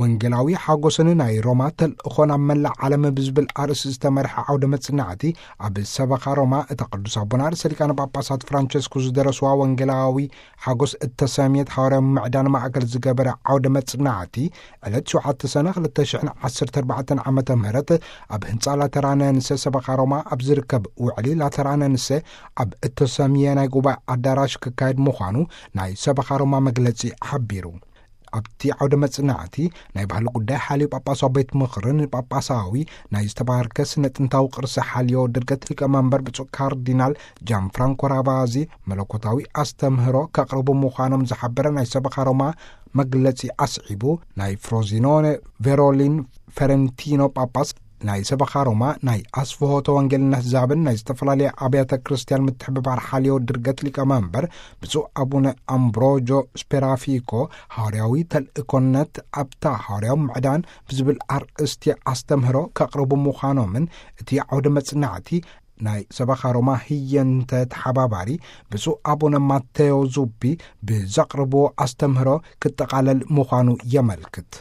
ወንጌላዊ ሓጎስን ናይ ሮማ ተልእኾ ናብ መላእ ዓለም ብዝብል ኣርእስቲ ዝተመርሐ ዓውደ መጽናዕቲ ኣብ ሰበኻ ሮማ፣ እታ ቅዱስ ኣቦና ርእሰ ሊቃነ ጳጳሳት ፍራንቸስኮ ዝደረስዋ ወንጌላዊ ሓጎስ እተሰምየት ሃዋርያዊ ምዕዳን ማእከል ዝገበረ ዓውደ መጽናዕቲ፣ ዕለት ሸውዓተ ሰነ ክልተ ሽሕን ዓሰርተ ኣርባዕተን ዓመተ ምህረት ኣብ ህንጻ ላተራነንሰ ሰበኻ ሮማ ኣብ ዝርከብ ውዕሊ ላተራነንሰ ኣብ እተሰምየ ናይ ጉባኤ ኣዳራሽ ክካየድ ምዃኑ ናይ ሰበኻ ሮማ መግለጺ ሓቢሩ። ኣብቲ ዓውደ መጽናዕቲ ናይ ባህሊ ጉዳይ ሓልዮ ጳጳሳዊ ቤት ምኽርን ጳጳሳዊ ናይ ዝተባርከ ስነ ጥንታዊ ቅርሲ ሓልዮ ድርገት ሊቀ መንበር ብፁዕ ካርዲናል ጃን ፍራንኮ ራቫዚ መለኮታዊ ኣስተምህሮ ከቕርቡ ምዃኖም ዝሓበረ ናይ ሰበኻ ሮማ መግለጺ ኣስዒቡ፣ ናይ ፍሮዚኖነ ቬሮሊን ፈረንቲኖ ጳጳስ ናይ ሰበኻ ሮማ ናይ ኣስፍሆተ ወንጌልን ኣሕዛብን ናይ ዝተፈላለያ ኣብያተ ክርስቲያን ምትሕብባር ሓልዮ ድርገት ሊቀ መንበር ብፁዕ ኣቡነ ኣምብሮጆ ስፔራፊኮ፣ ሃዋርያዊ ተልእኮነት ኣብታ ሃዋርያዊ ምዕዳን ብዝብል ኣርእስቲ ኣስተምህሮ ከቕርቡ ምዃኖምን፣ እቲ ዓውደ መጽናዕቲ ናይ ሰበኻ ሮማ ህየንተ ተሓባባሪ ብፁዕ ኣቡነ ማቴዎ ዙቢ ብዘቕርብዎ ኣስተምህሮ ክጠቓለል ምዃኑ የመልክት።